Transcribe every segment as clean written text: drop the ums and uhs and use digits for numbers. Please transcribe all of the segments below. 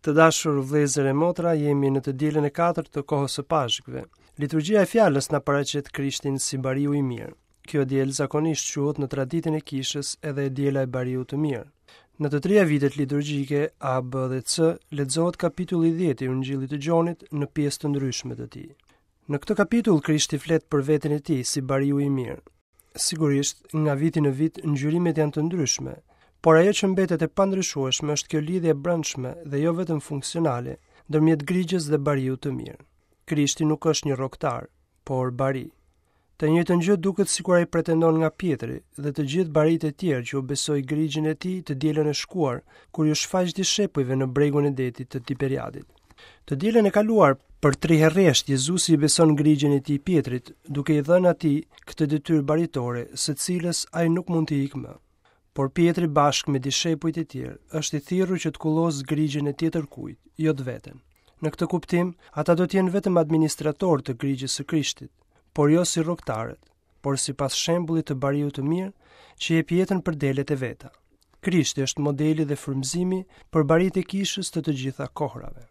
Të dashur vëllezër e motra, jemi në të dielën e katërt të kohës së Pashkëve. Liturgjia e fjalës na paraqet Krishtin si bariu i mirë. Kjo e diel zakonisht quhet në traditën e kishës edhe e diela e bariut të mirë. Në të tria vitet liturgjike A, B dhe C lexohet kapitulli 10 i Ungjillit të Gjonit në pjesë të ndryshme të tij. Në këtë kapitull Krishti flet për veten e tij si bariu i mirë. Sigurisht, nga viti në vit ngjyrimet janë të ndryshme, por ajo që mbetet e pandryshueshme është kjo lidhje e brendshme dhe jo vetëm funksionale ndërmjet grigjës dhe bariut të mirë. Krishti nuk është një rroktar, por bari. Të njëjtën gjë duket sikur ai pretendon nga Pjetri dhe të gjithë barinjtë e tjerë që u besoi grigjën e tij të dielën e shkuar, kur iu shfaq dishepujve në bregun e detit të Tiberiadit. Të dielën e kaluar, për tri herë rresht Jezusi i beson grigjën e tij Pjetrit, duke i dhënë atij këtë detyrë baritore, së cilës ai nuk mund t'i ikë më. Por Pjetri bashkë me dishepujt e tjerë është i thirrur që të kullosë grigjën e tjetërkujt, jo të veten. Në këtë kuptim, ata do të jenë vetëm administratorë të grigjës së Krishtit, por jo si rroktarët, por sipas shembullit të bariut të mirë që jep jetën për delet e veta. Krishti është modeli dhe frymëzimi për barinjtë e kishës të të gjitha kohërave.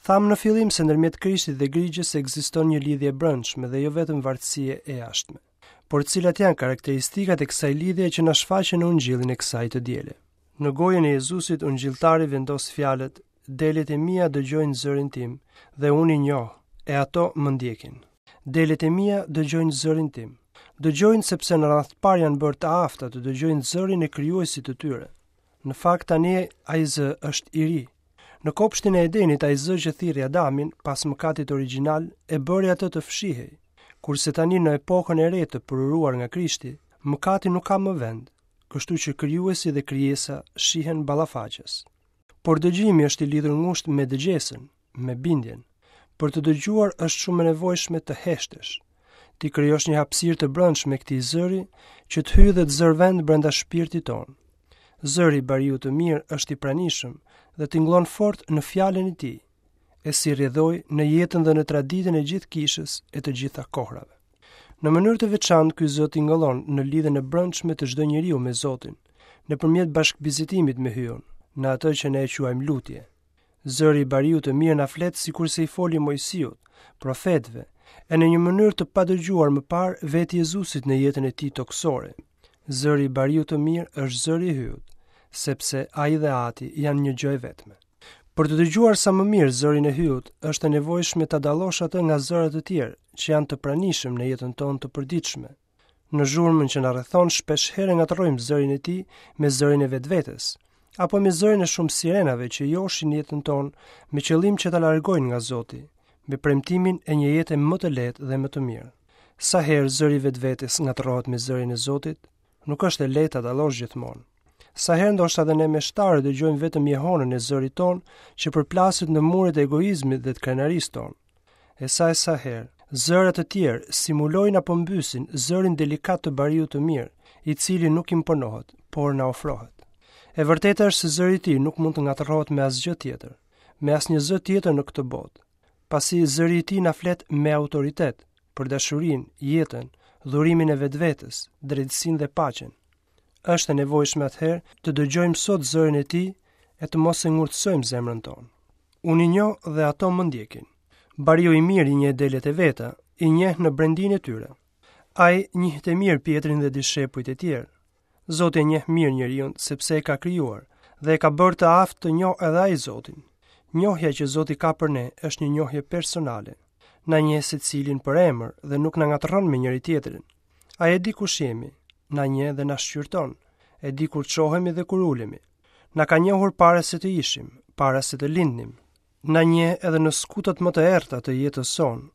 Thamë në fillim se ndërmjet Krishtit dhe grigjës ekziston një lidhje e brendshme dhe jo vetëm vartësie e jashtme. Por cilat janë karakteristikat e kësaj lidhjeje që na shfaqen në ungjillin e kësaj të diele? Në gojën e Jezusit ungjilltari vendos fjalët Delet e mia dëgjojnë zërin tim dhe unë i njoh, e ato më ndjekin. Delet e mia dëgjojnë zërin tim. Dëgjojnë sepse në radhë të parë janë bërë të afta të dëgjojnë zërin e krijuesit të tyre. Në fakt tani ai zë është i ri. Në kopshtin e Edenit ai zë që thirri Adamin pas mëkatit origjinal e bëri atë të fshihej. Kurse tani në epokën e re të përuruar nga Krishti, mëkati nuk ka më vend, kështu që krijuesi dhe krijesa shihen ballafaqës. Por dëgjimi është i lidhur ngushtë me dëgjesën, me bindjen. Për të dëgjuar është shumë e nevojshme të heshtësh. T'i krijosh një hapësirë të brendshme këtij zëri që të hyjë dhe të zërë vend brenda shpirtit tonë. Zëri i bariut të mirë është i pranishëm dhe tingëllon fort në fjalën e tij, e si rrjedhojë në jetën dhe në traditën e gjithë kishës e të gjitha kohrave. Në mënyrë të veçantë ky zë tingëllon në lidhjen e brendshme të çdo njeriu me Zotin, nëpërmjet bashkëbisedimit me Hyun, në atë që ne e quajmë lutje. Zëri i bariut të mirë na flet sikurse i foli Moisiut, profetëve, e në një mënyrë të padëgjuar më parë vetë Jezusit në jetën e tij tokësore. Zëri i bariut të mirë është zëri i Hyut, sepse ai dhe Ati janë një gjë e vetme. Për të dëgjuar sa më mirë zërin e Hyut, është e nevojshme ta dallosh atë nga zëra të tjerë që janë të pranishëm në jetën tonë të përditshme. Në zhurmën që na rrethon shpesh herë ngatërrojmë zërin e tij me zërin e vetvetes, apo me zërin e shumë sirenave që joshin jetën tonë me qëllim që ta largojnë nga Zoti, me premtimin e një jete më të lehtë dhe më të mirë. Sa herë zëri i vetvetes ngatërrohet me zërin e Zotit, Nuk është e lehtë ta dallosh gjithmonë. Sa herë ndoshta dhe ne meshtarët dëgjojmë vetëm jehonën e zërit tonë që përplaset në muret e egoizmit dhe të krenarisë tonë. E sa e sa herë, zëra të tjerë simulojnë apo mbysin zërin delikat të bariut të mirë, i cili nuk imponohet, por na ofrohet. E vërteta është se zëri i tij nuk mund të ngatërrohet me asgjë tjetër, me asnjë zë tjetër në këtë botë. Pasi zëri i tij na flet me autoritet për dashurinë, jetën, dhurimin e vetvetes, drejtësinë dhe paqen. Është e nevojshme atëherë të dëgjojmë sot zërin e tij e të mos e ngurtësojmë zemrën tonë. Unë i njoh dhe ato më ndjekin. Bariu i mirë i njeh delet e veta, i njeh në brendinë e tyre. Ai njihte mirë Pjetrin dhe dishepujt e tjerë. Zoti e njeh mirë njeriun sepse e ka krijuar dhe e ka bërë të aftë të njohë edhe ai Zotin. Njohja që Zoti ka për ne është një njohje personale. Na njeh secilin për emër dhe nuk na ngatërron me njëri-tjetrin. Ai e di kush jemi, na njeh dhe na shqyrton, e di kur çohemi dhe kur ulemi. Na ka njohur para se të ishim, para se të lindnim. Na njeh edhe në skutat më të errëta të jetës sonë,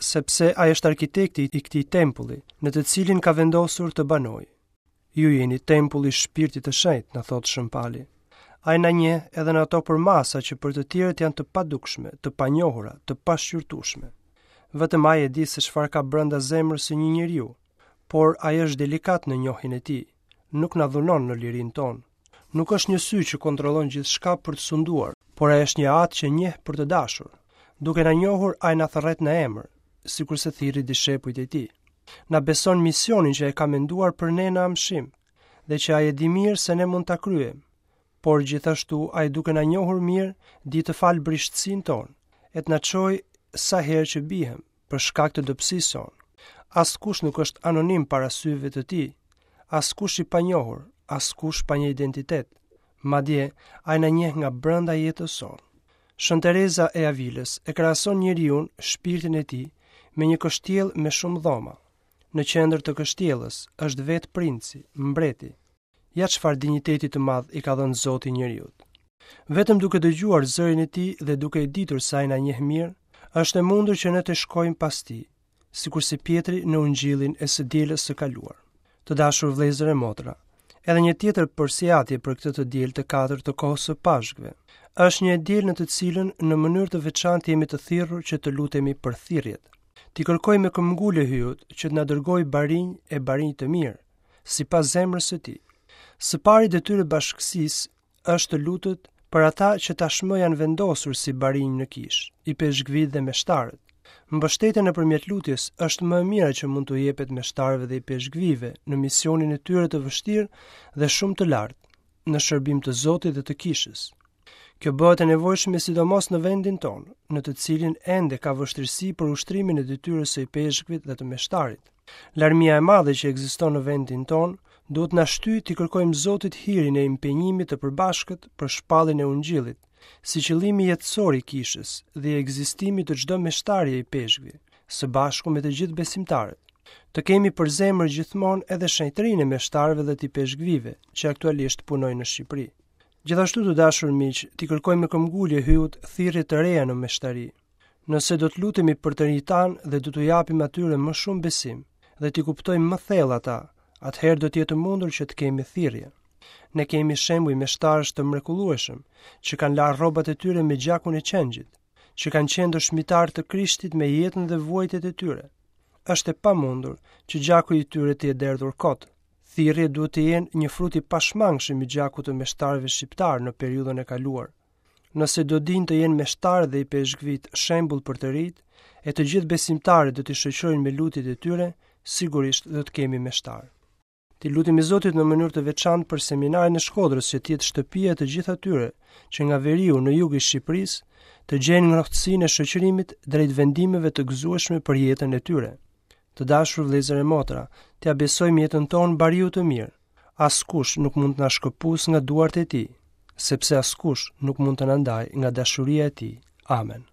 sepse ai është arkitekti i këtij tempulli, në të cilin ka vendosur të banojë. Ju jeni tempulli i Shpirtit të Shenjtë, na thotë Shën Pali. Ai na njeh edhe në ato përmasa që për të tjerët janë të padukshme, të panjohura, të pashqyrtueshme. Vetëm ai e di se çfarë ka brenda zemrës së një njeriu, por ai është delikat në njohjen e tij, nuk na dhunon në lirinë tonë. Nuk është një sy që kontrollon gjithçka për të sunduar, por ai është një atë që njeh për të dashur. Duke na njohur, ai na thërret në emër, sikurse thirri dishepujt e tij. Na beson misionin që e ka menduar për ne në amshim dhe që ai e di mirë se ne mund ta kryejmë. Por gjithashtu ai duke na njohur mirë, di të falë brishtësinë tonë, e të na çojë sa herë që biem, për shkak të dobësisë sonë. Askush nuk është anonim para syve të tij, askush i panjohur, askush pa një identitet. Madje, ai na njeh nga brenda jetës sonë. Shën Tereza e Avilës e krahason njeriun, shpirtin e tij, me një kështjellë me shumë dhoma. Në qendër të kështjellës është vetë princi, mbreti. Ja çfarë dinjiteti të madh i ka dhënë Zoti njeriut. Vetëm duke dëgjuar zërin e tij dhe duke e ditur se ai na njeh mirë, është e mundur që ne të shkojmë pas tij, sikurse Pjetri në ungjillin e së dielës së kaluar. Të dashur vëllezër e motra, edhe një tjetër përsiatje për këtë të diel të katërt të kohës së Pashkëve. Është një e diel në të cilën në mënyrë të veçantë jemi të thirrur që të lutemi për thirrjet. T'i kërkojmë me këmbëngulje Hyjut që të na dërgojë barinj e barinj të mirë, sipas zemrës së tij. Së pari detyrë e bashkësisë është të lutet për ata që tashmë janë vendosur si barinj në kishë, ipeshkvijtë dhe meshtarët. Mbështetja nëpërmjet lutjes është më e mira që mund t'u jepet meshtarëve dhe ipeshkvijve në misionin e tyre të vështirë dhe shumë të lartë, në shërbim të Zotit dhe të kishës. Kjo bëhet e nevojshme sidomos në vendin tonë, në të cilin ende ka vështirësi për ushtrimin e detyrës së ipeshkvit dhe të meshtarit. Larmia e madhe që ekziston në vendin tonë duhet na shtyjë t'i kërkojmë Zotit hirin e impenjimit të përbashkët për shpalljen e Ungjillit, si qëllimi jetësor i kishës dhe i ekzistimit të çdo meshtari e ipeshkvi, së bashku me të gjithë besimtarët. Të kemi për zemër gjithmonë edhe shenjtërinë e meshtarëve dhe të ipeshkvijve që aktualisht punojnë në Shqipëri. Gjithashtu të dashur miq, t'i kërkojmë me këmbëngulje Hyjut thirrje të reja në meshtari. Nëse do të lutemi për të rinjtë tanë dhe do t'u japim atyre më shumë besim dhe t'i kuptojmë më thellë ata, atëherë do të jetë e mundur që të kemi thirrje. Ne kemi shembuj meshtarësh të mrekullueshëm që kanë larë rrobat e tyre me gjakun e qengjit, që kanë qenë dëshmitarë të Krishtit me jetën dhe vuajtjet e tyre. Është e pamundur që gjaku i tyre të jetë derdhur kot. Thirrjet duhet të jenë një frut i pashmangshëm i gjakut të meshtarëve shqiptarë në periudhën e kaluar. Nëse do dinë të jenë meshtarët dhe ipeshkvijtë shembull për të rinjtë, e të gjithë besimtarët do t'i shoqërojnë me lutjet e tyre, sigurisht do të kemi meshtarë. T'i lutemi Zotit në mënyrë të veçantë për seminarin e Shkodrës që të jetë shtëpia e të gjithë atyre që nga veriu në jug i Shqipërisë të gjejnë ngrohtësinë e shoqërimit drejt vendimeve të gëzueshme për jetën e tyre. Të dashur vëllezër e motra, t'ia besojmë jetën tonë bariut të mirë. Askush nuk mund të na shkëpusë nga duart e tij, sepse askush nuk mund të na ndajë nga dashuria e tij. Amen.